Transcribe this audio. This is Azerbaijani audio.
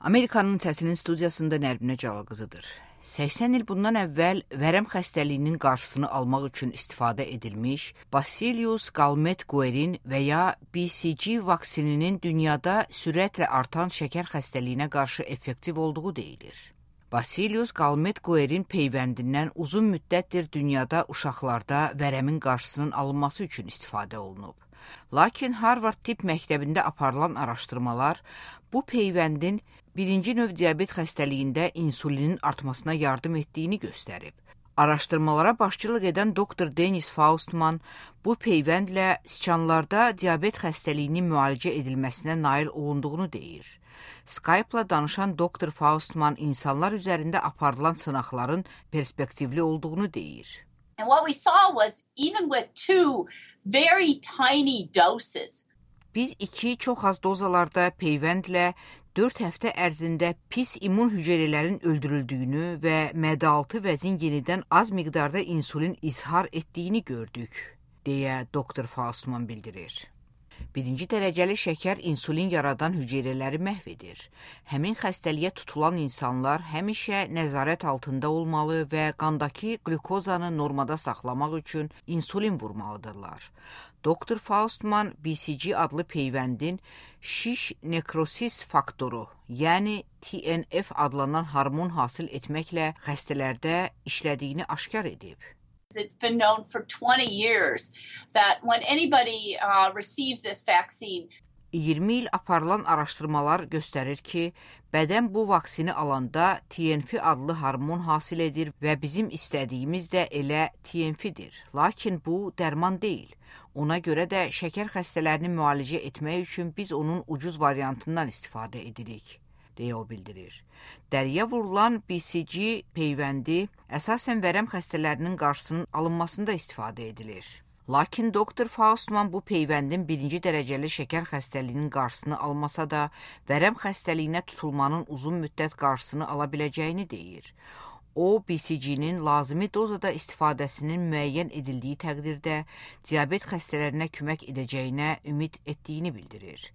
Amerikanın Səsinin studiyasında Nərminə Cəlal-qızıdır. 80 il bundan əvvəl vərəm xəstəliyinin qarşısını almaq üçün istifadə edilmiş Bacillus Calmette-Guerin və ya BCG vaksininin dünyada sürətlə artan şəkər xəstəliyinə qarşı effektiv olduğu deyilir. Bacillus Calmette-Guerin peyvəndindən uzun müddətdir dünyada uşaqlarda vərəmin qarşısının alınması üçün istifadə olunub. Lakin Harvard Tibb Məktəbində aparılan araşdırmalar bu peyvəndin birinci növ diabet xəstəliyində insulinin artmasına yardım etdiyini göstərib. Araşdırmalara başçılıq edən Dr. Dennis Faustman bu peyvəndlə siçanlarda diabet xəstəliyinin müalicə edilməsinə nail olunduğunu deyir. Skype-la danışan Dr. Faustman insanlar üzərində aparılan sınaqların perspektivli olduğunu deyir. And what we saw was even with two very tiny doses. Biz 2 çox az dozalarda peyvəndlə 4 həftə ərzində pis immun hüceyrələrin öldürüldüyünü və mədə-altı vəzin yenidən az miqdarda insulin izhar etdiyini gördük, deyə Dr. Faustman bildirir. Birinci dərəcəli şəkər insulin yaradan hüceyrələri məhv edir. Həmin xəstəliyə tutulan insanlar həmişə nəzarət altında olmalı və qandakı qlükozanı normada saxlamaq üçün insulin vurmalıdırlar. Dr. Faustman BCG adlı peyvəndin şiş nekrosis faktoru, yəni TNF adlanan hormon hasil etməklə xəstələrdə işlədiyini aşkar edib. It's been known for 20 years that when anybody receives this vaccine, 20 il aparılan araşdırmalar göstərir ki, bədən bu vaksini alanda TNF adlı hormon hasil edir və bizim istədiyimiz də elə TNF-dir. Lakin bu dərman deyil. Ona görə də şəkər xəstələrini müalicə etmək üçün biz onun ucuz variantından istifadə edirik, deyə o bildirir. Dəriyə vurulan BCG peyvəndi əsasən vərəm xəstələrinin qarşısının alınmasında istifadə edilir. Lakin Dr. Faustman bu peyvəndin birinci dərəcəli şəkər xəstəliyinin qarşısını almasa da, vərəm xəstəliyinə tutulmanın uzun müddət qarşısını ala biləcəyini deyir. O, BCG-nin lazımi dozada istifadəsinin müəyyən edildiyi təqdirdə diabet xəstələrinə kömək edəcəyinə ümid etdiyini bildirir.